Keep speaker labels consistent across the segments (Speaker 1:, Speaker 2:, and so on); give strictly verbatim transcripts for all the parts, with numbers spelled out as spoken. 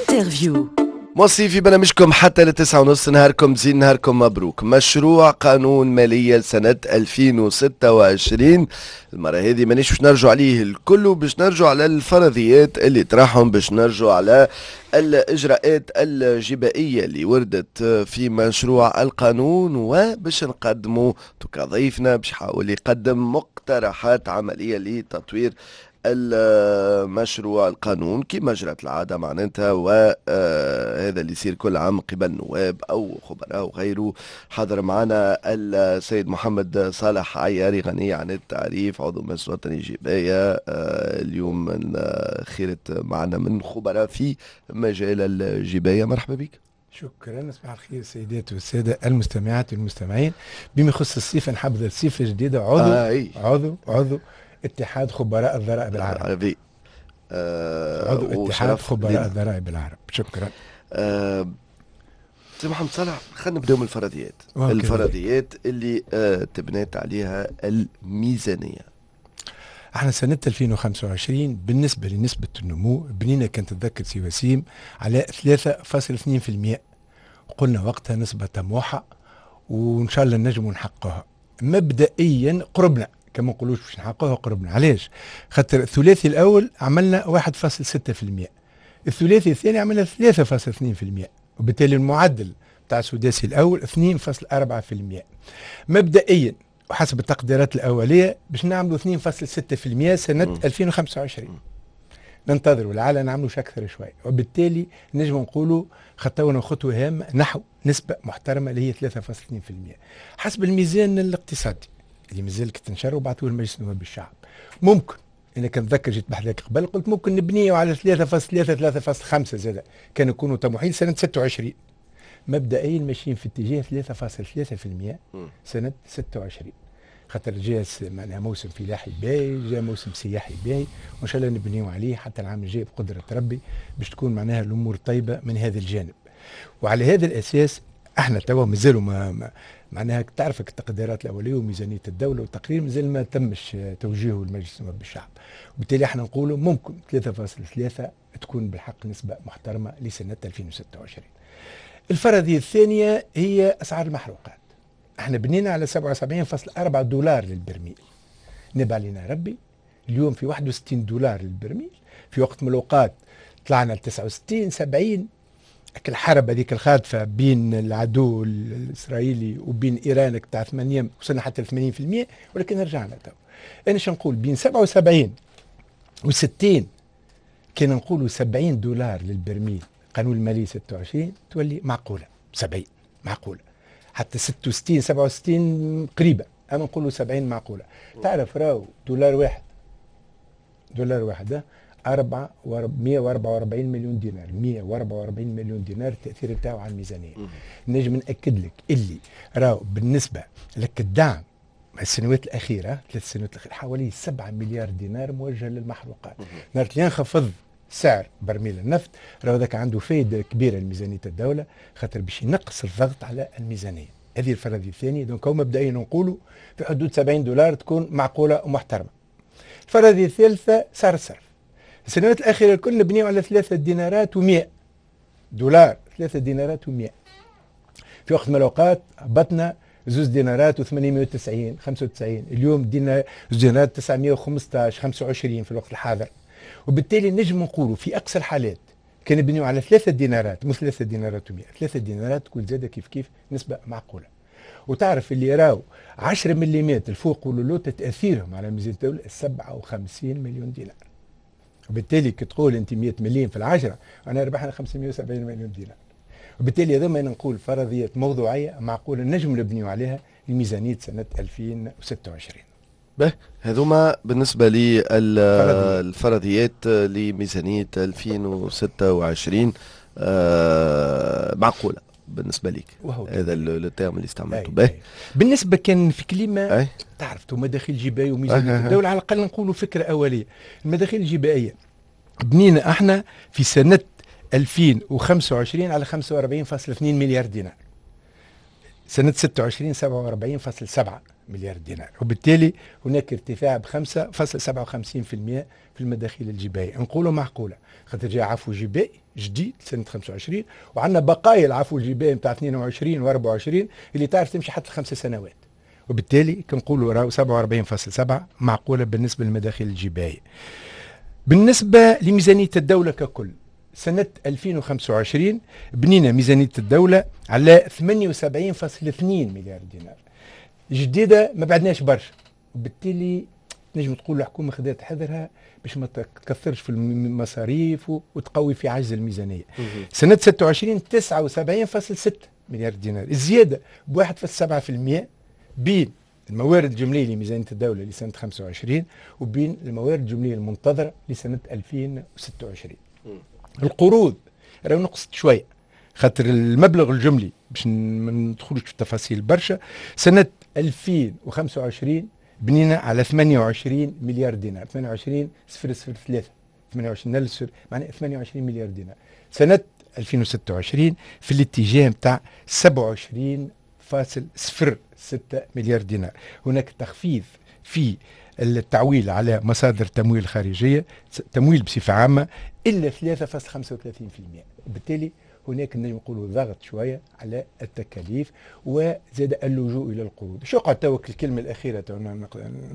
Speaker 1: Interview.
Speaker 2: مواصلين في برنامجكم حتى لتسعة ونص. نهاركم زين، نهاركم مبروك. مشروع قانون مالية لسنة ألفين وستة وعشرين، المرة هذه مانيش باش نرجع عليه الكل، باش نرجع على الفرضيات اللي طرحهم، باش نرجع على الإجراءات الجبائية اللي وردت في مشروع القانون، وباش نقدموا ضيفنا باش يحاول يقدم مقترحات عملية لتطوير المشروع القانون كما جرت العادة معناتها، وهذا اللي يصير كل عام قبل نواب أو خبراء وغيره. حاضر معنا السيد محمد صالح عياري، غني عن التعريف، عضو مجلس الوطني الجباية، اليوم من خيرة معنا من خبراء في مجال الجباية. مرحبا بك.
Speaker 3: شكرا، صباح الخير السيدات والسادة المستمعات والمستمعين. بما يخص الصفة، نحب الصفة الجديده، عضو آه عضو عضو اتحاد خبراء الضرائب العرب.
Speaker 2: آه
Speaker 3: عضو اتحاد خبراء الضرائب العرب، شكرا.
Speaker 2: آه سي محمد صالح، خلينا نبداو من الفرضيات، الفرضيات اللي آه تبنات عليها الميزانيه.
Speaker 3: احنا سنة ألفين وخمسة وعشرين بالنسبة لنسبة النمو بنينا، كان تتذكر سي وسيم، على ثلاثة فاصل اثنين في المية. قلنا وقتها نسبة طموحة وإن شاء الله نجموا نحققها. مبدئيا قربنا، كما نقولوش باش نحققوها، قربنا. علاش؟ خاطر الثلاثي الاول عملنا واحد فاصل ستة في المية، الثلاثي الثاني عملنا ثلاثة فاصل اثنين في المية، وبالتالي المعدل تاع السداسي الاول اثنين فاصل أربعة في المية. مبدئيا وحسب التقديرات الاولية باش نعملوا اثنين فاصل ستة في المية سنة ألفين وخمسة وعشرين. ننتظروا لعل نعملوا اكثر شوي، وبالتالي نجم نقولوا خطونا خطوة هامة نحو نسبه محترمه اللي هي ثلاثة فاصل اثنين في المية. حسب الميزان الاقتصادي اللي مازال تنشر وبعثوه لمجلس نواب الشعب، ممكن، انا كنتذكر جيت بحذاك قبل قلت ممكن نبنيه على ثلاثة فاصل ثلاثة، ثلاثة فاصل خمسة زاد كانوا يكونوا طموحين سنة ستة وعشرين. مبدئيا ماشيين في اتجاه ثلاثة فاصل ثلاثة في المية سنة ستة وعشرين، خاطر جاء معناها موسم فلاحي باهي، جاء موسم سياحي باهي، وان شاء الله نبنيو عليه حتى العام الجاي بقدره ربي باش تكون معناها الامور طيبة من هذا الجانب. وعلى هذا الاساس احنا توا مازالوا ما معناها تعرفك التقديرات الاولية وميزانيه الدولة والتقرير مازال ما تمش توجيهه لمجلس نواب الشعب، وبالتالي احنا نقولوا ممكن ثلاثة فاصل ثلاثة تكون بالحق نسبه محترمه لسنه ألفين وستة وعشرين. الفرضية الثانية هي اسعار المحروقات. احنا بنينا على سبعة وسبعين فاصل أربعة دولار للبرميل، نبع علينا ربي اليوم في واحد وستين دولار للبرميل. في وقت من الاوقات طلعنا ل تسعة وستين، سبعين. الحرب هذيك الخاطفة بين العدو الاسرائيلي وبين ايران تاع ثمانية وصلنا حتى ل ثمانين في المية، ولكن رجعنا تو. انا شو نقول؟ بين سبعة وسبعين و ستين، كان نقولوا سبعين دولار للبرميل قانون المالي ستة وعشرين تولي معقوله، سبعين معقوله، حتى ستة وستين، سبعة وستين قريبه، اما نقولوا سبعين معقوله. تعرف راهو دولار واحد، دولار واحد أربعة مية وأربعة وأربعين مليون دينار، مية وأربعة وأربعين مليون دينار التأثير بتاعه على الميزانية. نجم نأكد لك اللي راهو بالنسبة لك الدعم السنوات الأخيرة، ثلاث سنوات الأخيرة، حوالي سبعة مليار دينار موجهة للمحروقات. نهار اللي ينخفض سعر برميل النفط راهو ذاك عنده فايدة كبيرة لميزانية الدولة، خاطر باش ينقص الضغط على الميزانية. هذه الفرضية الثانية. donc هو مبدئيا نقولوا في حدود سبعين دولار تكون معقولة ومحترمة. الفرضية الثالثة سعر الصرف. السنوات الأخيرة الكل نبنيو على ثلاثة دينارات ومئة دولار، ثلاثة دينارات ومئة. في وقت من الأوقات هبطنا زوز دينارات وثمانمية وتسعين، خمسة وتسعين. اليوم دينا زوز دينارات تسعمية وخمسطاش، خمسة وعشرين في الوقت الحاضر. وبالتالي نجم نقولوا في اقصى الحالات كان نبنيو على ثلاثة دينارات، مش ثلاثة دينارات ومية، ثلاثة دينارات تكون زادة كيف كيف نسبة معقولة. وتعرف اللي راو عشرة مليمات الفوق واللوطة تأثيرهم على ميزانية الدولة سبعة وخمسين مليون دينار، وبالتالي كي تقول انت مية مليون في العشرة انا ربحنا خمسمية وسبعين مليون دينار. وبالتالي هذا ما نقول فرضيات موضوعية معقولة نجم نبنيو عليها لميزانية سنة ألفين وستة وعشرين.
Speaker 2: به، هذوما بالنسبة للفرضيات لميزانية ألفين وستة وعشرين آه معقولة بالنسبة لك، هذا ال terme اللي استعملته. به.
Speaker 3: بالنسبة كان في كلمة تعرف تو مداخيل جبائية وميزانية الدولة، على الأقل نقولوا فكرة أولية. المداخيل الجبائية بنينا احنا في سنة ألفين وخمسة وعشرين على خمسة وأربعين فاصل اثنين مليار دينار، سنة ستة وعشرين سبعة وأربعين فاصل سبعة مليار دينار، وبالتالي هناك ارتفاع ب خمسة فاصل سبعة وخمسين بالمئة في المداخيل الجبائية. نقولوا معقولة خاطر جاء عفو جبائي جديد سنة خمسة وعشرين، وعندنا بقايا العفو الجبائي نتاع اثنين وعشرين و أربعة وعشرين اللي تعرف تمشي حتى خمس سنوات، وبالتالي كنقولوا راهو سبعة وأربعين فاصل سبعة معقولة بالنسبة للمداخيل الجبائية. بالنسبة لميزانية الدولة ككل سنة ألفين وخمسة وعشرين بنينا ميزانية الدولة على ثمانية وسبعين فاصل اثنين مليار دينار، جديدة ما بعدناش برشا، وبالتالي نجم تقول الحكومة خذت حذرها باش ما تكثرش في المصاريف وتقوي في عجز الميزانية. سنة ستة وعشرين تسعة وسبعين فاصل ستة مليار دينار، الزيادة ب واحد فاصل سبعة بالمئة بين الموارد الجملية لميزانية الدولة لسنة خمسة وعشرين وبين الموارد الجملية المنتظرة لسنة ألفين وستة وعشرين. القروض راهو نقصت شوية خاطر المبلغ الجملي باش ما ندخلوش في التفاصيل برشا، سنة ألفين وخمسة وعشرين بنينا على ثمانية وعشرين مليار دينار، ثمانية وعشرين صفر صفر ثلاثة، ثمانية وعشرين ألف معناها ثمانية وعشرين مليار دينار. سنة ألفين وستة وعشرين في الاتجاه نتاع سبعة وعشرين فاصل صفر ستة مليار دينار. هناك تخفيض في التعويل على مصادر تمويل خارجية، تمويل بصفة عامة إلا ثلاثة فاصل خمسة وثلاثين بالمئة، وبالتالي هناك نقولوا ضغط شوية على التكاليف وزاد اللجوء إلى القروض. شو قعد توك الكلمة الأخيرة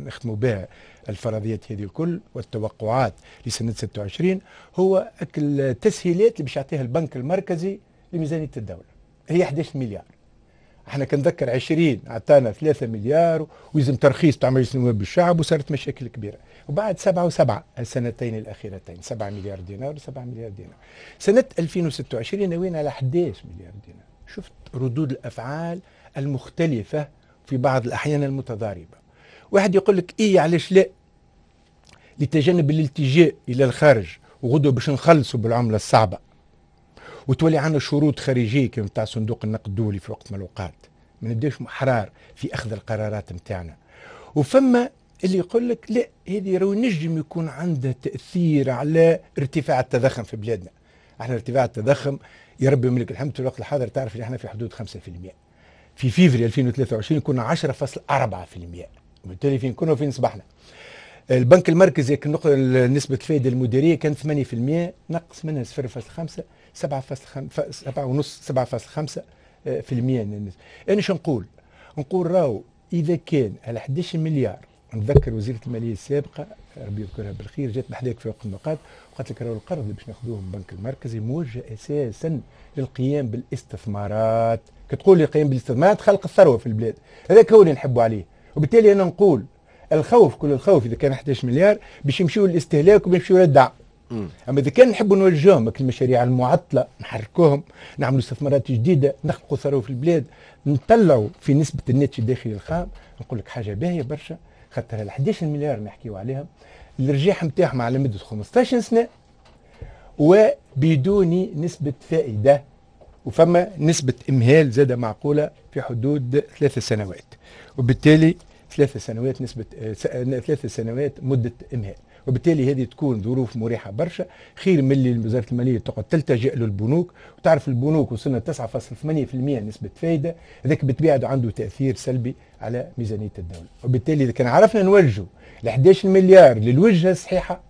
Speaker 3: نختموا بها الفرضيات هذه الكل والتوقعات لسنة ستة وعشرين هو التسهيلات اللي باش يعطيها البنك المركزي لميزانية الدولة هي أحد عشر مليار. احنا كنذكر عشرين عطانا ثلاثة مليار ويزم ترخيص تاع مجلس النواب بالشعب وصارت مشاكل كبيرة، وبعد سبعة وسبعة السنتين الاخيرتين سبعة مليار دينار وسبعة مليار دينار. سنة ألفين وستة وعشرين ناويين على أحد عشر مليار دينار. شفت ردود الافعال المختلفة في بعض الاحيان المتضاربه. واحد يقول لك ايه علاش لا لتجنب الالتجاء الى الخارج وغدوه باش نخلصوا بالعملة الصعبة وتولي عندنا شروط خارجية كما تاع صندوق النقد الدولي في وقت من الاوقات، ما نبداوش احرار في اخذ القرارات نتاعنا. وفما اللي يقول لك لا هذه راهو نجم يكون عندها تاثير على ارتفاع التضخم في بلادنا. احنا ارتفاع التضخم يا ربي ملك الحمد في الوقت الحاضر تعرف اللي احنا في حدود خمسة بالمئة، في فيفري ألفين وثلاثة وعشرين كنا عشرة فاصل أربعة بالمئة، وبالتالي فين كنا وفين صبحنا. البنك المركزي نسبة الفائدة المديرية كانت ثمانية بالمئة، نقص منها صفر فاصل خمسة سبعة فاصل خمسة سبعة ونص سبعة فاصل خمسة بالمئة. أنا شو نقول؟ نقول راهو إذا كان على أحد عشر مليار، نتذكر وزيرة المالية السابقة ربي يذكرها بالخير جات بحذاك في وقت من الأوقات وقالت لك راهو القرض اللي باش ناخذوه من البنك المركزي موجه أساسا للقيام بالاستثمارات. كتقول لي القيام بالاستثمارات خلق الثروة في البلاد، هذاك هو اللي نحبوا عليه. وبالتالي أنا نقول الخوف كل الخوف اذا كان أحد عشر مليار باش يمشيو للاستهلاك وباش يمشيو للدعم. اما اذا كان نحبوا نوجههم المشاريع المعطلة نحركوهم، نعملوا استثمارات جديدة، نخلقوا ثروة في البلاد، نطلعوا في نسبه الناتج الداخلي الخام، نقول لك حاجة باهيه برشا خاطر ال أحد عشر مليار نحكيو عليهم الرجاح نتاعهم على مده خمسطاش سنة وبدون نسبه فائدة، وفما نسبه امهال زاده معقولة في حدود ثلاث سنوات، وبالتالي ثلاث سنوات نسبة ثلاث سنوات مدة إمهال، وبالتالي هذه تكون ظروف مريحة برشا خير من اللي وزارة المالية تقعد تلتجئ للبنوك. وتعرف البنوك وصلنا تسعة فاصل ثمانية بالمئة نسبة فايدة، هذاك بالطبيعة عنده تأثير سلبي على ميزانية الدولة. وبالتالي إذا كان عرفنا نوجه ال أحد عشر مليار للوجهة الصحيحة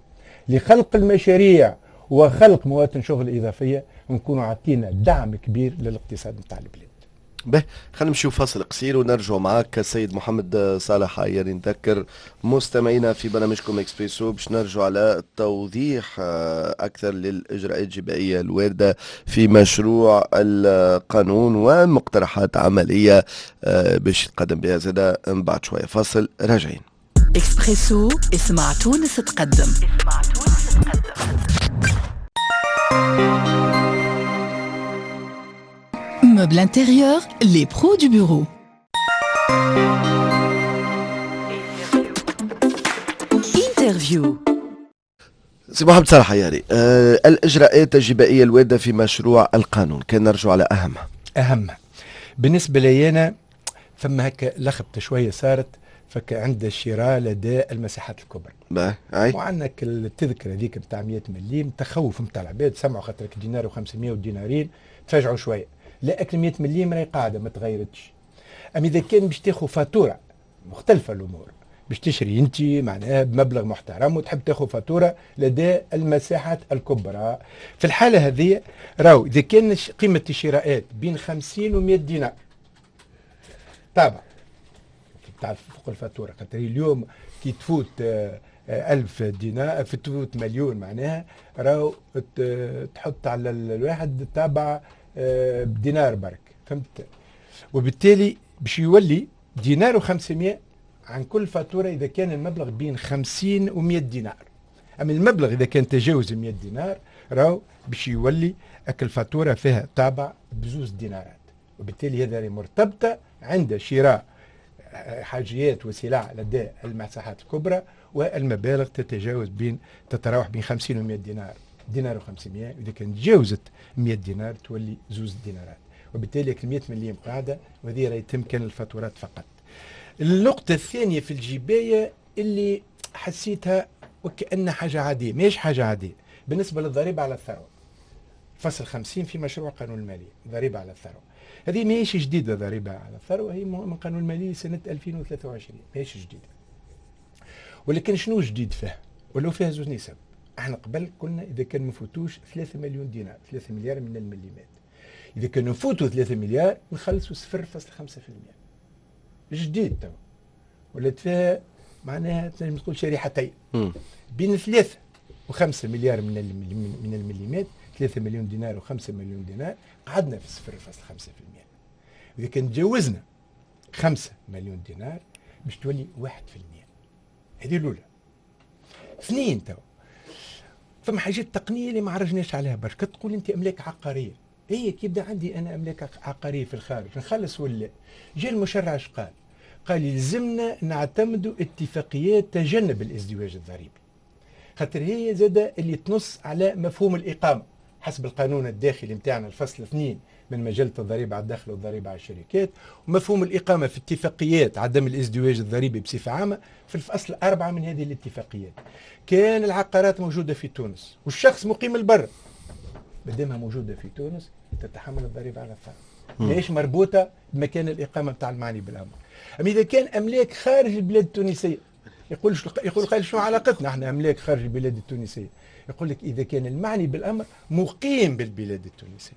Speaker 3: لخلق المشاريع وخلق مواطن شغل إضافية، ونكونوا عطينا دعم كبير للاقتصاد نتاع البلاد.
Speaker 2: به خلينا نمشيو فاصل قصير ونرجع معاك السيد محمد صالح عياري. نذكر مستمعينا في برنامجكم اكسبريسو باش نرجع على توضيح اكثر للاجراءات الجبائيه الواردة في مشروع القانون ومقترحات عملية باش يتقدم بها زاده من بعد شوية. فاصل راجعين.
Speaker 1: اكسبريسو اسمع تونس تقدم. اسمع تونس تقدم. Meubles intérieurs, les pros du bureau. Interview.
Speaker 2: سي محمد صالح عياري، أه الإجراءات الجبائية الواردة في مشروع القانون كان نرجع على أهمها.
Speaker 3: أهمها بالنسبة لي أنا فما هكا لخبطة شوية صارت فك عند الشراء لدى المساحات الكبرى.
Speaker 2: باهي.
Speaker 3: وعندك التذكرة هذيك نتاع مية مليم تخوف نتاع العباد سمعوا خاطرك دينار وخمسمية ودينارين تفاجعوا شوية. لا اكل مية مليم راهي قاعدة ما تغيرتش. اما اذا كان باش تاخذ فاتورة مختلفة الامور. باش تشري انت معناها بمبلغ محترم وتحب تاخذ فاتورة لدى المساحات الكبرى، في الحالة هذه راهو اذا كان قيمة الشراءات بين خمسين و مية دينار طابع تعرف فوق الفاتوره، خاطر اليوم كي تفوت ألف دينار في تفوت مليون معناها راهو تحط على الواحد تابع بدينار برك، فهمت؟ وبالتالي باش يولي دينار وخمسمية عن كل فاتورة إذا كان المبلغ بين خمسين ومية دينار. أما المبلغ إذا كان تجاوز مية دينار راهو باش يولي أكل فاتورة فيها تابع بزوز دينارات، وبالتالي هذا مرتبطة عند شراء حاجيات وسلع لدى المساحات الكبرى، والمبالغ تتجاوز بين تتراوح بين خمسين ومية دينار، دينار وخمسمية، إذا كان تجاوزت مية دينار تولي زوز دينارات، وبالتالي مية مليم قاعدة، وهذه راه يتم كان الفاتورات فقط. النقطة الثانية في الجباية اللي حسيتها وكأنها حاجة عادية، ماهيش حاجة عادية، بالنسبة للضريبة على الثروة. فصل خمسين في مشروع قانون المالية، ضريبة على الثروة. هذه ماهيش جديدة، ضريبة على الثروة هي من قانون المالية سنة ألفين وثلاثة وعشرين، ماهيش جديدة. ولكن شنو جديد فيها؟ ولو فيها زوج نسب. احنا قبل كنا إذا كان ما نفوتوش ثلاثة مليون دينار، ثلاثة مليار من المليمات. إذا كان نفوتوا ثلاثة مليار نخلصوا صفر فاصلة خمسة في المية. جديد تو ولات فيها معناها تنجم تقول شريحتين، بين ثلاثة وخمسة مليار من من المليمات، ثلاثة مليون دينار وخمسة مليون دينار، قعدنا في صفر فاصلة خمسة في المية. إذا كان تجاوزنا خمسة مليون دينار باش تولي واحد في المية. هذه الأولى. اثنين تو فما حاجات تقنية اللي ما عرجناش عليها برشا، تقول أنت أملاك عقارية، هي كي يبدا عندي انا املاك عقارية في الخارج نخلص ولا؟ جا المشرع اش قال؟ قال يلزمنا نعتمدوا اتفاقيات تجنب الازدواج الضريبي، خاطر هي زاده اللي تنص على مفهوم الاقامة حسب القانون الداخلي نتاعنا الفصل اثنين من مجلة الضريبة على الدخل والضريبه على الشركات، ومفهوم الاقامة في اتفاقيات عدم الازدواج الضريبي بصفة عامة في الفصل اربعة من هذه الاتفاقيات. كان العقارات موجودة في تونس والشخص مقيم البر، مادامها موجودة في تونس تتحمل الضريبة على الثروة، ليش مربوطة بمكان الاقامة نتاع المعني بالامر. اما اذا كان املاك خارج البلاد التونسية، يقول يقول قال شنو علاقتنا احنا املاك خارج البلاد التونسية؟ يقول لك اذا كان المعني بالامر مقيم بالبلاد التونسية،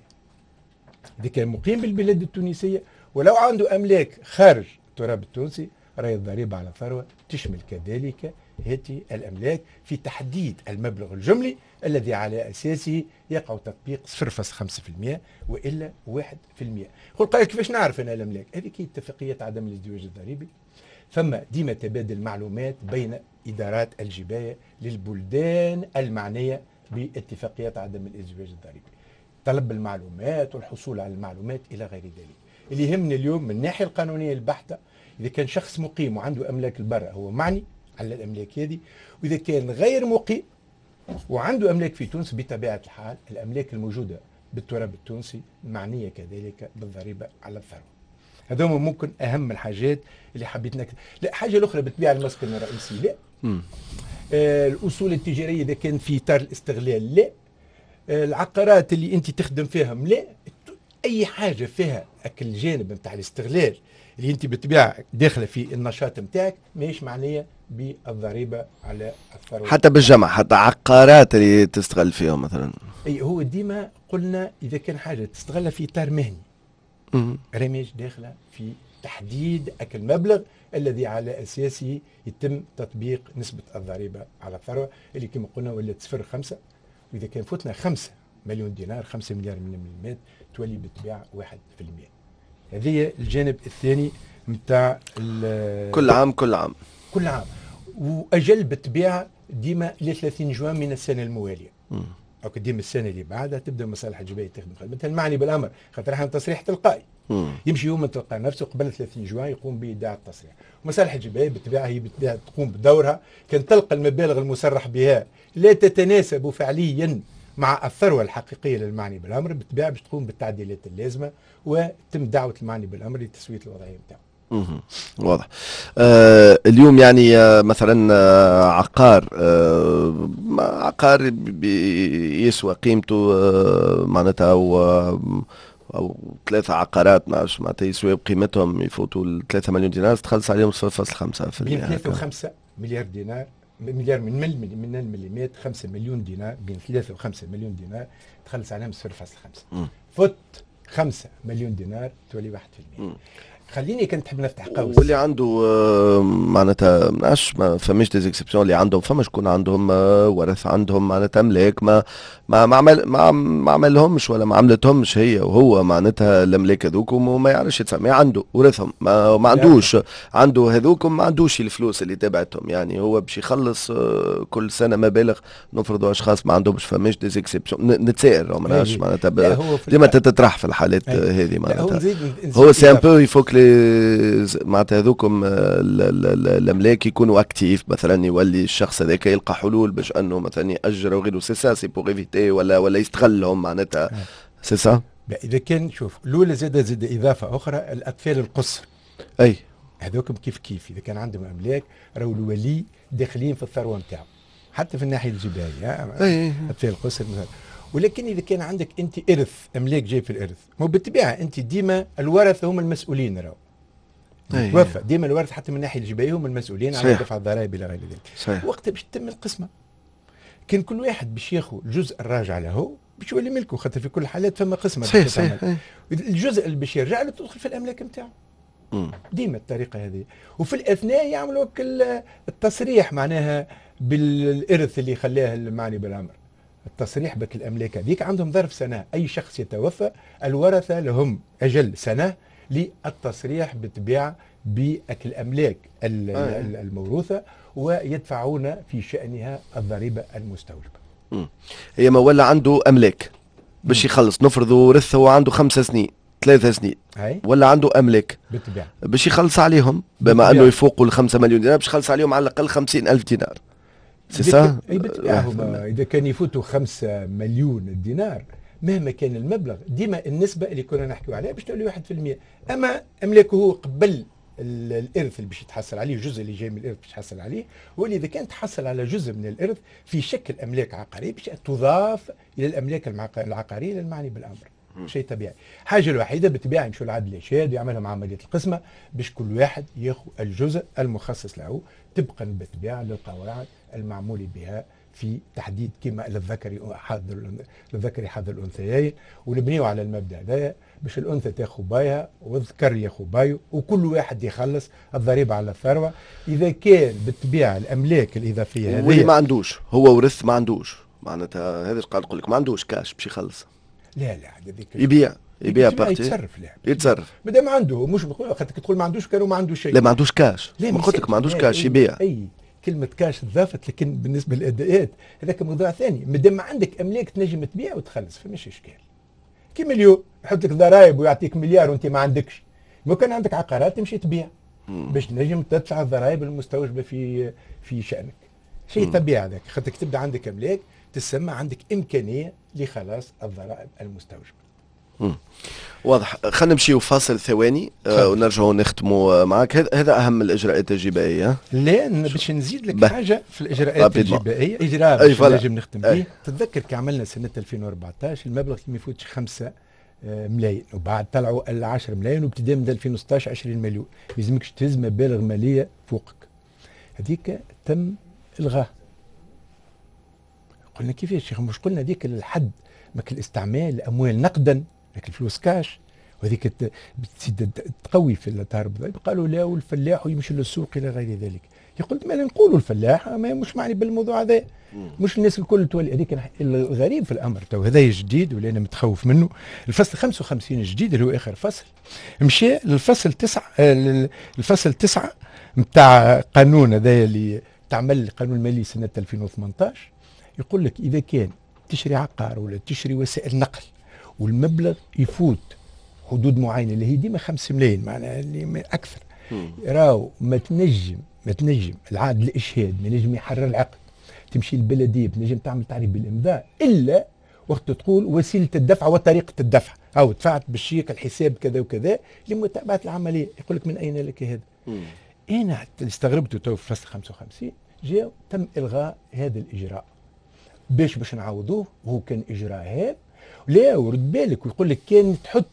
Speaker 3: اذا كان مقيم بالبلاد التونسية ولو عنده املاك خارج التراب التونسي، راهي الضريبة على الثروة تشمل كذلك هذه الاملاك في تحديد المبلغ الجملي الذي على اساسه يقع تطبيق صفر فاصلة خمسة في المية والا واحد في المية. يقول قال كيفاش نعرف انا الاملاك؟ هذيك هي اتفاقية عدم الازدواج الضريبي. ثم ديما تبادل معلومات بين ادارات الجبايه للبلدان المعنية باتفاقيات عدم الازدواج الضريبي، طلب المعلومات والحصول على المعلومات الى غير ذلك. اللي يهمني اليوم من الناحية القانونية البحتة، اذا كان شخص مقيم وعنده املاك البر هو معني على الاملاك هذه، واذا كان غير مقيم وعنده املاك في تونس بطبيعة الحال الاملاك الموجودة بالتراب التونسي معنية كذلك بالضريبه على الثروة. هذوما ممكن اهم الحاجات اللي حبيت نكتب. لا حاجة الاخرى بالطبيعة المسكن الرئيسي لا. آه الاصول التجارية اذا كان في اطار الاستغلال لا. آه العقارات اللي انت تخدم فيهم لا. اي حاجة فيها اكل الجانب نتاع الاستغلال اللي انت بالطبيعة داخله في النشاط نتاعك ماهيش معنية بالضريبه على الثروة.
Speaker 2: حتى بالجمع، حتى عقارات اللي تستغل فيهم مثلا.
Speaker 3: اي هو ديما قلنا اذا كان حاجة تستغلها في اطار مهني راه داخله في تحديد اكل المبلغ الذي على اساسه يتم تطبيق نسبه الضريبة على الثروة اللي كما قلنا ولات صفر خمسة، واذا كان فتنا خمسة مليون دينار خمسة مليار من المليمات تولي بالطبيعة واحد في المية. هذه الجانب الثاني نتاع
Speaker 2: كل عام كل عام
Speaker 3: كل عام، واجل بالطبيعة ديما ل ثلاثين جوان من السنة الموالية. او ديما السنة اللي بعدها تبدا مصالح الجبايه تخدم خدمتها المعني بالامر، خاطر احنا تصريح تلقائي. مم. يمشي يوم تلقى نفسه قبل ثلاثين جوان يقوم بايداع التصريح. مصالح الجبايه بالطبيعة هي بالطبيعة تقوم بدورها، كان تلقى المبالغ المصرح بها لا تتناسب فعليا مع الثروة الحقيقية للمعني بالامر، بالطبيعة باش تقوم بالتعديلات اللازمة وتم دعوه المعني بالامر لتسوية الوضعية نتاعو.
Speaker 2: واضح. آه اليوم يعني آه مثلا آه عقار آه عقار يسوى قيمته آه معناتها و او ثلاثة عقارات ما عرفش معناتها يسوي بقيمتهم يفوتوا ثلاثة مليون دينار، تخلص عليهم صفر فاصل خمسة في المية.
Speaker 3: بين ثلاثة وخمسة مليار دينار، مليار من من المليمات، خمسة مليون دينار، بين ثلاثة وخمسة مليون دينار تخلص عليهم صفر فاصل خمسة. فت خمسة مليون دينار تولي واحد في المية. خليني كنت تحب نفتح قوس.
Speaker 2: واللي عنده آه، معناتها ما نعرفش، ما فماش des exceptions؟ اللي عندهم، فما شكون عندهم آه، ورث، عندهم معناتها املاك ما ما ما عمل ما, ما عملهمش ولا ما عملتهمش هي وهو معناتها الاملاك هذوكم، وما يعرفش يتسمى، عنده ورثهم، ما, ما عندوش، عنده هذوكم، ما عندوش الفلوس اللي تبعتهم، يعني هو باش يخلص آه، كل سنة مبالغ. نفرضوا اشخاص ما عندهمش، فماش des exceptions؟ نتسائل، ما نعرفش معناتها، ديما تتطرح في الحالات هذه معناتها. هو c'est un peu il faut que معناتها هذوكم الاملاك يكونوا actifs، مثلا يولي الشخص هذاك يلقى حلول باش انه مثلا ياجر وغيره، c'est ça، c'est pour éviter ولا ولا يستغلهم معناتها، c'est ça.
Speaker 3: اذا كان شوف الاولى، زاد زاد اضافه اخرى، الاطفال القصر.
Speaker 2: اي.
Speaker 3: هذوكم كيف كيف، اذا كان عندهم املاك راهو الولي داخلين في الثروة نتاعو حتى في الناحية الجبائيه.
Speaker 2: اي.
Speaker 3: اطفال القصر مثلا. ولكن اذا كان عندك انت ارث، املاك جاي في الارث، مو بالطبيعة انت ديما الورثة هم المسؤولين، راهو توفى ديما الورث حتى من الناحية الجبائيه هم المسؤولين على دفع الضرائب الى غير ذلك.
Speaker 2: صحيح.
Speaker 3: وقتها باش تتم القسمه، كان كل واحد باش ياخذ الجزء الراجع له باش يولي ملكه، خاطر في كل الحالات فما قسمه.
Speaker 2: صحيح صحيح.
Speaker 3: الجزء اللي باش يرجع له تدخل في الاملاك نتاعو. ديما الطريقة هذه، وفي الاثناء يعملوا التصريح معناها بالارث اللي خلاه المعني بالامر، التصريح بك الاملاك هذيك. عندهم ظرف سنه، اي شخص يتوفى الورثة لهم اجل سنة للتصريح بالطبيعة بالاملاك الموروثة ويدفعون في شانها الضريبة المستوجبه.
Speaker 2: هي ما ولا عنده املاك باش يخلص، نفرض ورث هو عنده خمسة سنين، ثلاثة سنين،
Speaker 3: أي؟
Speaker 2: ولا عنده املاك
Speaker 3: بالطبيعة
Speaker 2: باش يخلص عليهم، بما انه يفوقوا ال خمسة مليون دينار، باش يخلص عليهم على الاقل خمسين ألف دينار، c'est ça؟
Speaker 3: اي بالطبيعه، اذا كان يفوتوا خمسة مليون دينار، مهما كان المبلغ، ديما النسبة اللي كنا نحكيو عليها باش تولي واحد في المية. اما املاكه هو قبل الارث اللي باش يتحصل عليه، الجزء اللي جاي من الارث باش يتحصل عليه، واللي اذا كان تحصل على جزء من الارث في شكل املاك عقارية باش تضاف الى الاملاك العقارية للمعني بالامر، شيء طبيعي. الحاجة الوحيدة بالطبيعة يمشوا العدل الاشهاد ويعملهم عملية القسمة باش كل واحد ياخذ الجزء المخصص له، طبقا بالطبيعة للقواعد المعمول بها في تحديد كما للذكر حظ للذكر حظ الانثيين، ونبنيو على المبدا هذا باش الانثى تاخذ بايها والذكر ياخذ بايو، وكل واحد يخلص الضريبة على الثروة اذا كان بالطبيعة الاملاك الاضافية
Speaker 2: هذه. واللي ما عندوش، هو ورث ما عندوش، معناتها هذا قاعد نقول لك، ما عندوش كاش باش يخلص.
Speaker 3: لا لا.
Speaker 2: هذيك يبيع يبيع partie.
Speaker 3: يتصرف، لا.
Speaker 2: يتصرف.
Speaker 3: ما دام عنده، مش خاطر تقول ما عندوش، كانوا ما عنده شيء.
Speaker 2: لا، ما عندوش كاش. لا، ما قلت لك ما عندوش كاش، يبيع.
Speaker 3: اي، كلمة كاش تضافت، لكن بالنسبة للأداءات هذاك موضوع ثاني. مادام ما عندك أملاك تنجم تبيع وتخلص، فماش إشكال. كيما اليوم يحط لك ضرائب ويعطيك مليار وأنت ما عندكش، ما كان عندك عقارات تمشي تبيع باش تنجم تدفع الضرائب المستوجبة في في شأنك. شيء طبيعي هذاك، خاطرك تبدا عندك أملاك تسمى عندك إمكانية لخلاص الضرائب المستوجبة.
Speaker 2: واضح. خلينا نمشيو فاصل ثواني آه ونرجعوا نختموا معك. هذا اهم الاجراءات الجبائيه.
Speaker 3: لا، باش نزيد لك حاجة في الاجراءات الجبائيه، اجراء باش نجم نختم به. تتذكر كي عملنا سنة ألفين وأربعطاش المبلغ ما يفوتش خمسة آه، ملايين، وبعد طلعوا ال عشرة ملايين، وابتداء من ألفين وستطاش عشرين مليون، ما يلزمكش تهز مبالغ ماليه فوقك. هذيك تم الغاء. قلنا كيفاش؟ مش قلنا ذيك الحد ماك الاستعمال الاموال نقدا، لكن الفلوس كاش، وهذيك بتزيد تقوي في التهرب. قالوا لا، والفلاح ويمشي للسوق الى غير ذلك. قلت ما نقولوا الفلاح ما مش معني بالموضوع هذا، مش الناس الكل تولي هذيك. الغريب في الامر تو هذا جديد واللي انا متخوف منه، الفصل خمسة وخمسين الجديد اللي هو اخر فصل، مشى للفصل تسعة، آه، الفصل تسعة نتاع قانون هذا اللي تعمل القانون المالي سنة ألفين وثمنطاش، يقول لك اذا كان تشري عقار ولا تشري وسائل نقل والمبلغ يفوت حدود معينة اللي هي ديما خمسة ملايين، معناها اللي اكثر، راهو ما تنجم ما تنجم العدل الاشهاد ما نجم يحرر العقد، تمشي البلدية تنجم تعمل تعريف بالامضاء، الا وقت تقول وسيلة الدفع وطريقه الدفع، او دفعت بالشيك، الحساب كذا وكذا، لمتابعة العمليه. يقول لك من اين لك هذا؟ انا استغربت تو في فصل خمسة وخمسين جاء تم الغاء هذا الاجراء باش باش نعوضوه، وهو كان اجراء هام. لا، ورد بالك، ويقول لك كان تحط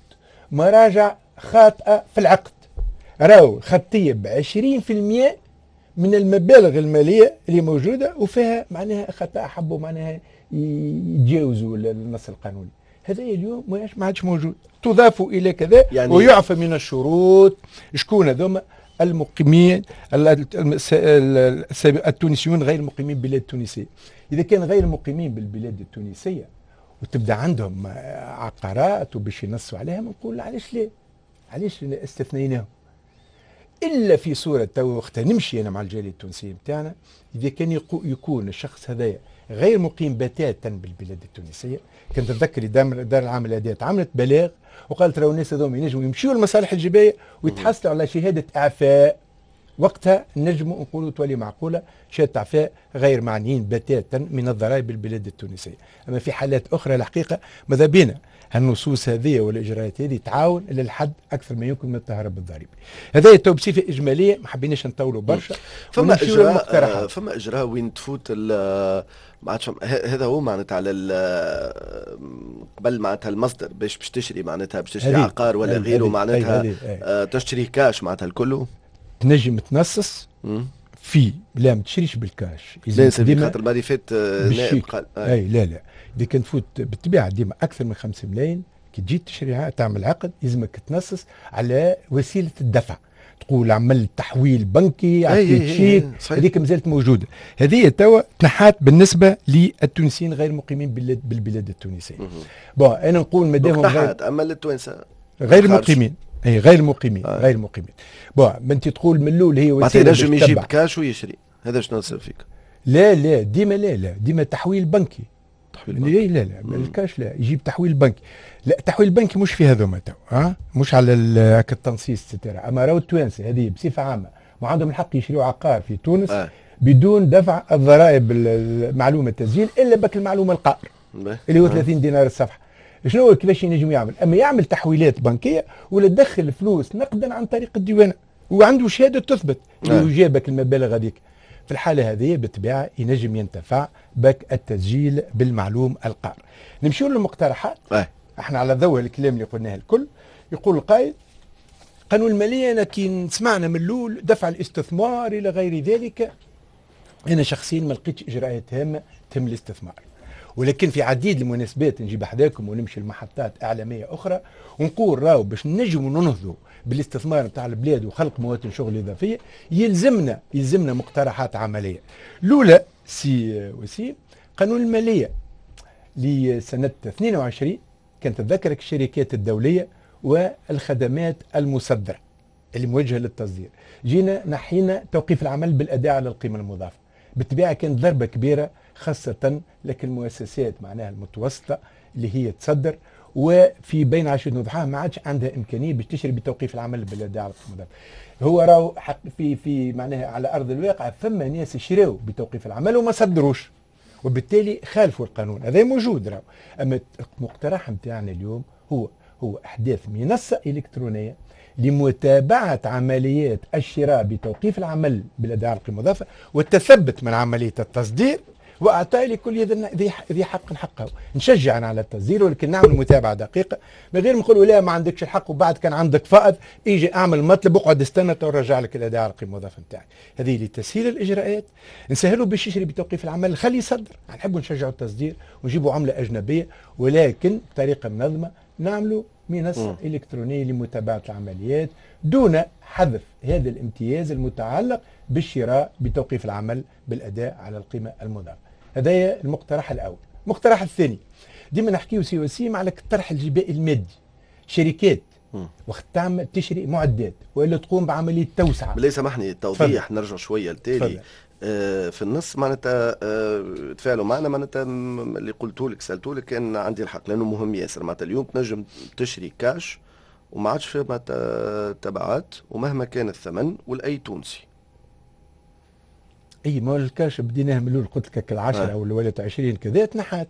Speaker 3: مراجع خاطئه في العقد، راهو خطيه ب عشرين بالمئة من المبالغ المالية اللي موجودة وفيها معناها خطا، حبوا معناها يتجاوزوا النص القانوني. هذا اليوم ما عادش موجود، تضاف الى كذا يعني ويعفى من الشروط. شكون هذوما؟ المقيمين التونسيون غير المقيمين بالبلاد التونسية. اذا كان غير مقيمين بالبلاد التونسية وتبدا عندهم عقارات وباش ينصوا عليها، نقول علاش لا؟ علاش استثنيناهم؟ الا في صوره تو وقتها نمشي انا مع الجالية التونسية نتاعنا، اذا كان يكون الشخص هذايا غير مقيم بتاتا بالبلاد التونسية. كنت تذكري دار العام الاداء عملت بلاغ وقالت راهو الناس هذوما ينجموا يمشيوا للمصالح الجبايه ويتحصلوا على شهادة اعفاء، وقتها نجموا نقولوا تولي معقولة شهادة اعفاء غير معنيين بتاتا من الضرائب بالبلاد التونسية. اما في حالات اخرى الحقيقة ماذا بينا هالنصوص هذه والاجراءات هذه تعاون للحد اكثر ما يمكن من التهرب الضريبي. هذا تو بصفة اجمالية، ما حبيناش نطولوا برشا.
Speaker 2: فما اجراء فما اجراء وين تفوت ما عادش هذا هو معناتها على قبل معناتها المصدر باش باش تشري معناتها باش تشري عقار ولا غيره معناتها آه تشتري كاش معناتها الكل
Speaker 3: تنجم تنصص في لا ما تشريش بالكاش.
Speaker 2: لا خاطر المرة اللي فاتت نائب قال
Speaker 3: آه. اي لا لا اذا كان تفوت بالطبيعة ديما اكثر من خمسة ملايين كي تجي تشريها تعمل عقد لازمك تنصص على وسيلة الدفع، تقول عمل تحويل بنكي، عطيت شيك، هذيك مازالت موجودة. هذه توا تنحات بالنسبة للتونسيين غير مقيمين بالبلاد التونسية. bon انا نقول مادام
Speaker 2: غير اما للتوانسه
Speaker 3: غير مقيمين، اي غير مقيمين آه. غير مقيمين. bon ما انت تقول من الاول هي
Speaker 2: وسيلة ينجم يجيب كاش ويشري، هذا شنو نصير فيك؟
Speaker 3: لا لا ديما لا لا ديما تحويل بنكي. تحويل بنكي لا لا الكاش لا، يجيب تحويل بنكي. لا تحويل بنكي مش في هذوما تو، ها مش على التنصيص ترى. اما راهو التوانسة هذه بصفة عامة ما عندهم الحق يشريوا عقار في تونس آه. بدون دفع الضرائب معلومة التسجيل الا بك المعلومة القائر اللي هو ثلاثين دينار الصفحة. شنو كيفاش ينجم يعمل؟ اما يعمل تحويلات بنكيه ولا تدخل فلوس نقدا عن طريق الديوانه وعنده شهادة تثبت اللي جابك المبالغ هذيك. في الحالة هذه بالطبيعة ينجم ينتفع بك التسجيل بالمعلوم القار. نمشيو للمقترحات. أه. احنا على ضوء الكلام اللي قلناه الكل، يقول القائل قانون المالية انا كي سمعنا من الاول دفع الاستثمار الى غير ذلك، انا شخصيا ما لقيتش اجراءات هامة تهم الاستثمار، ولكن في عديد المناسبات نجيب احداكم ونمشي لمحطات اعلامية اخرى ونقول راهو باش نجموا ننهضوا بالاستثمار نتاع البلاد وخلق مواطن شغل اضافية يلزمنا يلزمنا مقترحات عملية. الاولى سي وسيم قانون المالية لسنه اثنين وعشرين كانت تذكرك الشركات الدولية والخدمات المصدرة اللي موجهة للتصدير، جينا نحينا توقيف العمل بالاداء على القيمة المضافة. بالطبيعة كانت ضربه كبيرة خاصة لك المؤسسات معناها المتوسطة اللي هي تصدر وفي بين عشرة وضحاها ما عادش عندها امكانية باش تشري بتوقيف العمل بالاداء على القيمة المضافة. هو راهو حق في في معناها على ارض الواقع فما ناس شراو بتوقيف العمل وما صدروش وبالتالي خالفوا القانون، هذا موجود راهو. اما المقترح نتاعنا اليوم هو هو احداث منصة الكترونية لمتابعة عمليات الشراء بتوقيف العمل بالاداء على القيمة المضافة والتثبت من عملية التصدير واعطاء لكل ذي حق حقه. نشجع على التصدير ولكن نعمل متابعه دقيقة من غير ما نقولوا لا ما عندكش الحق وبعد كان عندك فائض اجي اعمل مطلب اقعد استنى ونرجع لك الاداء على القيمة المضافة نتاعك. هذه لتسهيل الاجراءات، نسهلوا باش يشري بتوقيف العمل، خليه يصدر، نحبوا نشجعوا التصدير ونجيبوا عمله اجنبية ولكن بطريقة منظمة نعملوا منصة الكترونية لمتابعة العمليات دون حذف هذا الامتياز المتعلق بالشراء بتوقيف العمل بالاداء على القيمة المضافة. هذا المقترح الاول. المقترح الثاني ديما نحكيو سي وسيم على الطرح الجبائي المادي. شركات وقت تعمل تشري معدات والا تقوم بعملية توسعه.
Speaker 2: بالله سامحني التوضيح نرجع شوية لتالي. آه في النص معناتها آه تفاعلوا معنا معناتها اللي قلته لك سالته لك كان عندي الحق لانه مهم ياسر. معناتها اليوم تنجم تشري كاش وما عادش فيه معناتها تبعات ومهما كان الثمن ولاي تونسي.
Speaker 3: اي ما الكاش بديناه من الاول قلت لك العشرة او ولا عشرين كذا تنحات.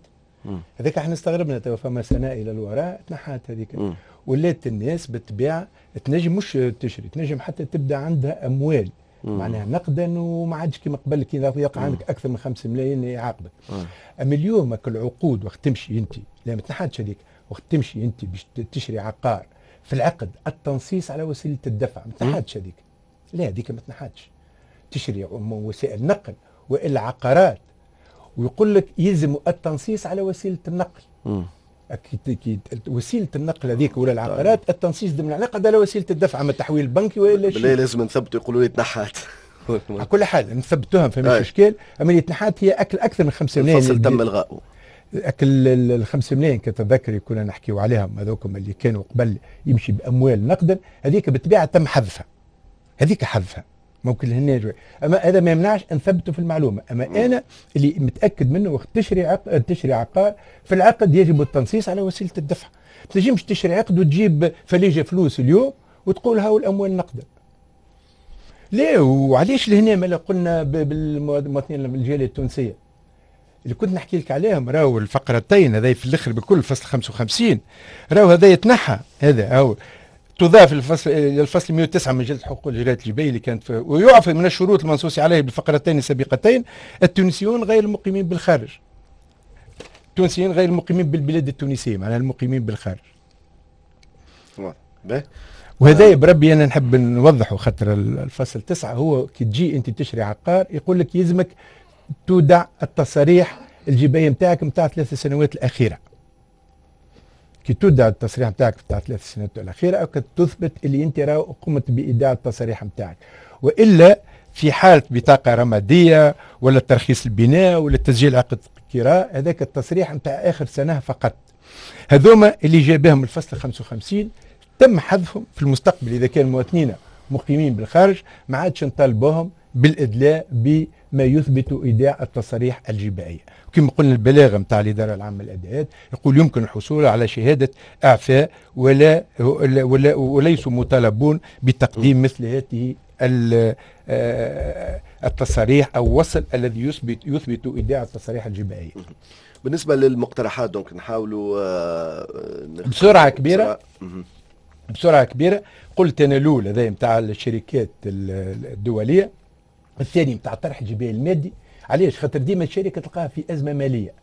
Speaker 3: هذاك احنا استغربنا تو فما سنة الى الوراء تنحات هذيك. ولات الناس بالطبيعة تنجم مش تشري، تنجم حتى تبدا عندها اموال مم. معناها نقدا وما عادش كيما قبل كي يقع عندك اكثر من خمسة ملايين يعاقبك. اما اليوم كل عقود وقت تمشي انت لا ما تنحاتش هذيك، وقت تمشي انت باش تشري عقار في العقد التنصيص على وسيلة الدفع، ما تنحاتش هذيك. لا هذيك ما تنحاتش. تشري وسائل نقل والا عقارات ويقول لك يلزم التنصيص على وسيلة النقل. اكيد وسيلة النقل هذيك ولا العقارات التنصيص ضمن العقد على وسيلة الدفع، اما التحويل البنكي والا شيء.
Speaker 2: بالله لازم نثبتوا، يقولوا لي تنحات.
Speaker 3: على كل حال نثبتوها فماش اشكال، اما اللي تنحات هي اكل اكثر من خمسة ملايين.
Speaker 2: الفصل تم الغائه.
Speaker 3: اكل الخمسة ملايين كتذكري كنا نحكيو عليهم هذوكم اللي كانوا قبل يمشي باموال نقدا، هذيك بالطبيعة تم حذفها. هذيك حذفها ممكن هنا جوي. اما هذا ما يمنعش نثبته في المعلومة، اما م. انا اللي متاكد منه وقت تشري عقد تشري عقار في العقد يجب التنصيص على وسيلة الدفع. ما تنجمش تشري عقد وتجيب فليجه فلوس اليوم وتقول هاو الاموال نقدا. ليه وعلاش لهنا ما قلنا بالمواطنين الجالية التونسية اللي كنت نحكي لك عليهم، راهو الفقرتين هذا في الاخر بكل فصل خمسة وخمسين راهو هذا يتنحى، هذا هو تضاف الفصل الفصل مئة وتسعة من مجلة حقوق الجاليات الجبائيه اللي كانت، ويعفى من الشروط المنصوص عليها بالفقرتين السابقتين التونسيون غير المقيمين بالخارج. التونسيين غير المقيمين بالبلاد التونسية، معناها المقيمين بالخارج. وهذا بربي انا نحب نوضحه، خاطر الفصل تسعة هو كي تجي انت تشري عقار يقول لك يلزمك تودع التصاريح الجبائيه نتاعك نتاع ثلاث سنوات الاخيرة. كي تودع التصريح نتاعك نتاع ثلاث سنوات الاخيرة او تثبت اللي انت راهو قمت بايداع التصاريح نتاعك، والا في حاله بطاقة رمادية ولا ترخيص البناء ولا تسجيل عقد كراء، هذاك التصريح نتاع اخر سنة فقط. هذوما اللي جابهم الفصل خمسة وخمسين تم حذفهم في المستقبل. اذا كان مواطنين مقيمين بالخارج ما عادش نطالبوهم بالادلاء بما يثبت ايداع التصاريح الجبائيه. وكما قلنا البلاغة نتاع الادارة العامة للاداءات يقول يمكن الحصول على شهادة اعفاء ولا ولا وليسوا مطالبون بتقديم مثل هذه التصاريح او وصل الذي يثبت يثبت ايداع التصاريح الجبائيه.
Speaker 2: بالنسبة للمقترحات donc نحاولوا
Speaker 3: بسرعة كبيرة بسرعة كبيرة. قلت انا الاول هذا نتاع الشركات الدولية، الثاني نتاع الطرح الجبائي المادي. علاش؟ خاطر ديما الشركة تلقاها في ازمة ماليه،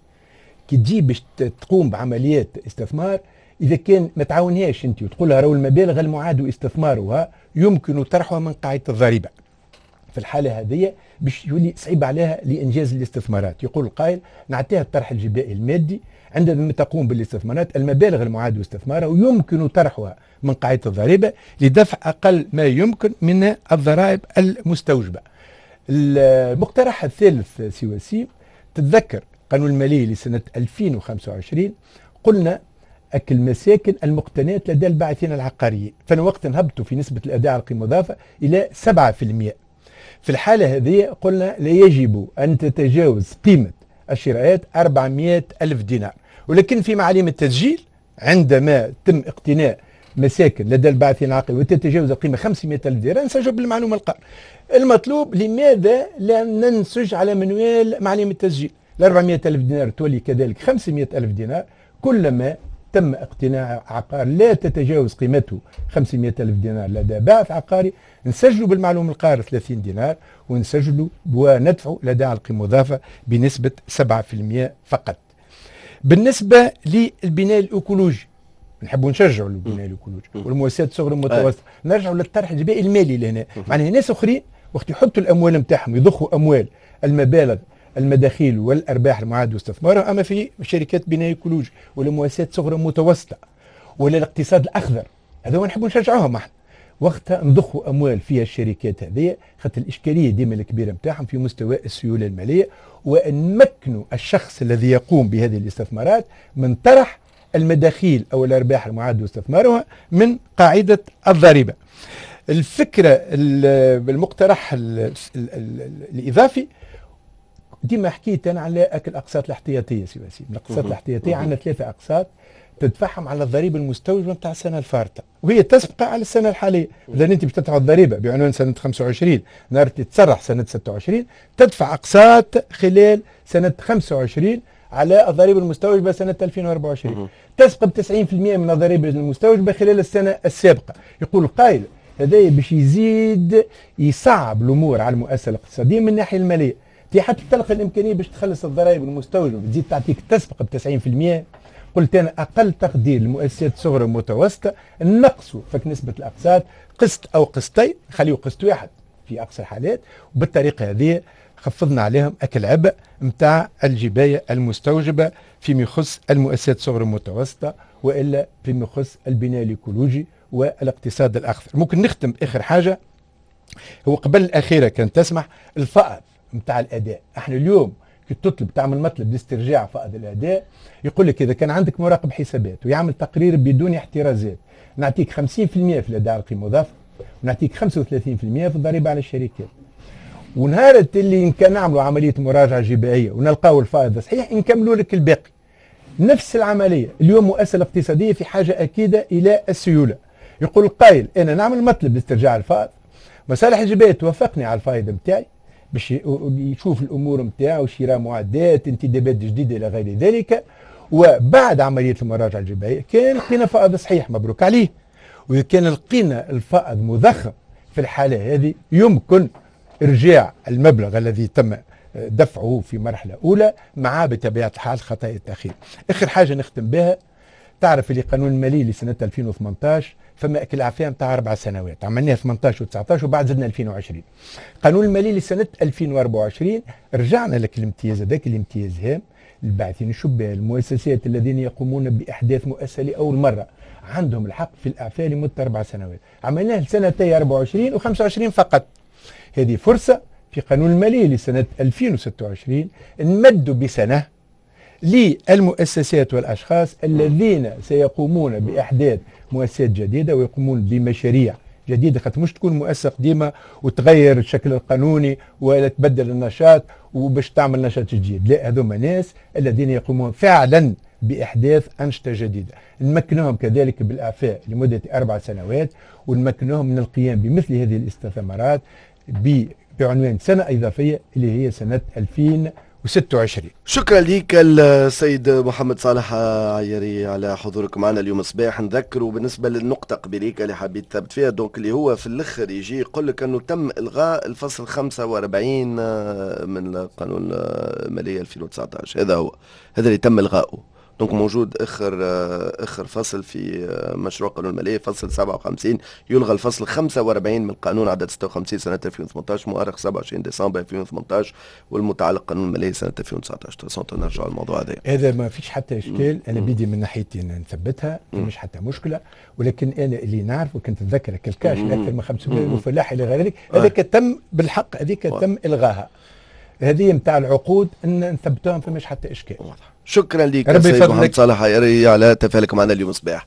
Speaker 3: كي تجي باش تقوم بعمليات استثمار اذا كان ما تعاونهاش انت وتقول لها راهو المبالغ المعاد استثمارها يمكن طرحها من قاعدة الضريبة، في الحالة هذه باش يولي صعيب عليها لانجاز الاستثمارات. يقول القائل نعطيها الطرح الجبائي المادي عندما تقوم بالاستثمارات، المبالغ المعاد استثمارها ويمكن طرحها من قاعدة الضريبة لدفع اقل ما يمكن من الضرائب المستوجبه. المقترح الثالث سي وسيم، تتذكر قانون المالية لسنه ألفين وخمسة وعشرين قلنا أكل المساكن المقتنات لدى الباعثين العقاريين، فانا وقت نهبطوا في نسبه الاداء على القيمة المضافة الى سبعة بالمئة. في الحالة هذه قلنا لا يجب ان تتجاوز قيمة الشراءات أربعمئة ألف دينار، ولكن في معاليم التسجيل عندما تم اقتناء مساكن لدى الباعثين العقاريين وتتجاوز القيمة خمسمئة ألف دينار نسجل بالمعلومه القار. المطلوب لماذا لا ننسج على منوال معاليم التسجيل؟ ال أربعمئة ألف دينار تولي كذلك خمسمئة ألف دينار كلما تم اقتناء عقار لا تتجاوز قيمته خمسمئة ألف دينار لدى باعث عقاري، نسجلوا بالمعلوم القار ثلاثين دينار ونسجلوا وندفعوا لدى القيمة المضافة بنسبة سبعة بالمئة فقط. بالنسبة للبناء الإيكولوجي نحبوا نشجعوا البناء الإيكولوجي والمؤسسات الصغرى والمتوسطة، نرجعوا للطرح الجبائي المالي لهنا، معناها ناس أخرين وقت يحطوا الأموال نتاعهم يضخوا أموال المبالغ المداخيل والارباح المعاد استثمارها، اما في شركات بناء ايكولوجي ولا مؤسسات صغرى متوسطه ولا الاقتصاد الاخضر، هذا هو نحبوا نشجعوهم احنا. وقتها نضخوا اموال فيها الشركات هذه، خاطر الاشكالية ديما الكبيرة نتاعهم في مستوى السيولة المالية، ونمكنوا الشخص الذي يقوم بهذه الاستثمارات من طرح المداخيل او الارباح المعاد استثمارها من قاعدة الضريبة. الفكرة المقترح الاضافي ديما حكيت انا على اكل الاقساط الاحتياطيه سي وسيم، الاقساط الاحتياطيه عندنا ثلاثة اقساط تدفعهم على الضريبة المستوجبه نتاع السنة الفارطه وهي تسبق على السنة الحالية. اذا انت باش تدفع الضريبة بعنوان سنة خمسة وعشرين نهار اللي تسرح سنة ستة وعشرين تدفع اقساط خلال سنة خمسة وعشرين على الضريبة المستوجبه سنة ألفين وأربعة وعشرين، تسبق ب تسعين بالمئة من الضريبة المستوجبه خلال السنة السابقة. يقول القائل هذا باش يزيد يصعب الامور على المؤسسة الاقتصادية من الناحية المالية، تي حتى تلقى الامكانية باش تخلص الضرائب المستوجبه بتزيد تعطيك تسبق ب تسعين بالمئة قلت انا اقل تقدير للمؤسسات الصغرى والمتوسطة نقصوا فك نسبه الاقساط قسط او قسطين، خليه قسط واحد في اقصى الحالات، وبالطريقه هذه خفضنا عليهم اك العبء نتاع الجبايه المستوجبه فيما يخص المؤسسات الصغرى والمتوسطة والا فيما يخص البناء الايكولوجي والاقتصاد الاخضر. ممكن نختم اخر حاجة، هو قبل الاخيرة كان تسمح، الفائض نتاع الاداء. احنا اليوم كي تطلب تعمل مطلب لاسترجاع فائض الاداء يقول لك اذا كان عندك مراقب حسابات ويعمل تقرير بدون احترازات نعطيك خمسين بالمئة في الاداء على القيمة المضافة ونعطيك خمسة وثلاثين بالمئة في الضريبة على الشركات. ونهار اللي إن كان نعملوا عملية مراجعه جبائيه ونلقاو الفائض صحيح نكملوا لك الباقي. نفس العملية اليوم المؤسسة الاقتصادية في حاجة اكيدة الى السيولة. يقول القائل انا نعمل مطلب لاسترجاع الفائض، مصالح الجبايه توافقني على الفائض نتاعي باش يشوف الامور نتاعو، شراء معدات، انتدابات جديدة الى غير ذلك، وبعد عملية المراجعة الجبائيه كان لقينا فائض صحيح مبروك عليه، واذا كان لقينا الفائض مضخم في الحالة هذه يمكن ارجاع المبلغ الذي تم دفعه في مرحلة اولى مع بطبيعة الحال خطايا التاخير. اخر حاجة نختم بها، تعرف اللي قانون المالي لسنه ألفين وثمانطاش فما اكل اعفاء نتاع اربع سنوات، عملناها ثمانطاش وتسعطاش وبعد زدنا ألفين وعشرين. قانون المالي لسنه ألفين وأربعة وعشرين رجعنا لك الامتياز هذاك، الامتياز هام الباعثين الشبان، المؤسسات الذين يقومون باحداث مؤسسة لاول مرة عندهم الحق في الاعفاء لمدة اربع سنوات، عملناه لسنتي أربعة وعشرين وخمسة وعشرين فقط. هذه فرصة في قانون المالي لسنه ألفين وستة وعشرين نمدوا بسنة للمؤسسات والأشخاص الذين سيقومون بإحداث مؤسسات جديدة ويقومون بمشاريع جديدة، خاطر مش تكون مؤسسة قديمة وتغير الشكل القانوني ولا تبدل النشاط وباش تعمل نشاط جديد، لا، هذوما ناس الذين يقومون فعلا بإحداث أنشطة جديدة، نمكنهم كذلك بالإعفاء لمدة أربع سنوات ونمكنهم من القيام بمثل هذه الاستثمارات بعنوان سنة إضافية اللي هي سنة ألفين وستة وعشرين.
Speaker 2: شكرا لك السيد محمد صالح عياري على حضورك معنا اليوم الصباح. نذكروا بالنسبة للنقطة قبليك اللي حبيت تثبت فيها، donc اللي هو في الاخر يجي يقول لك انه تم الغاء الفصل خمسة وأربعين من القانون المالية ألفين وتسعطاش، هذا هو هذا اللي تم الغائه. donc موجود اخر اخر فصل في مشروع قانون المالية فصل سبعة وخمسين، يلغى الفصل خمسة وأربعين من القانون عدد ستة وخمسين سنة ألفين وثمانطاش مؤرخ سبعة وعشرين ديسمبر ألفين وثمانطاش والمتعلق قانون المالية سنة ألفين وتسعطاش. نرجع للموضوع هذا.
Speaker 3: هذا ما فيش حتى اشكال، انا بيدي من ناحيتي نثبتها مش حتى مشكلة، ولكن انا اللي نعرفه كنت نتذكر الكاش اكثر من خمسمائة وفلاح الى غير ذلك، هذاك تم بالحق، هذيك تم الغاها. هذه نتاع العقود ان نثبتوها فماش حتى اشكال.
Speaker 2: شكرا لك سيد محمد صالح عياري على تفاعلك معنا اليوم الصباح.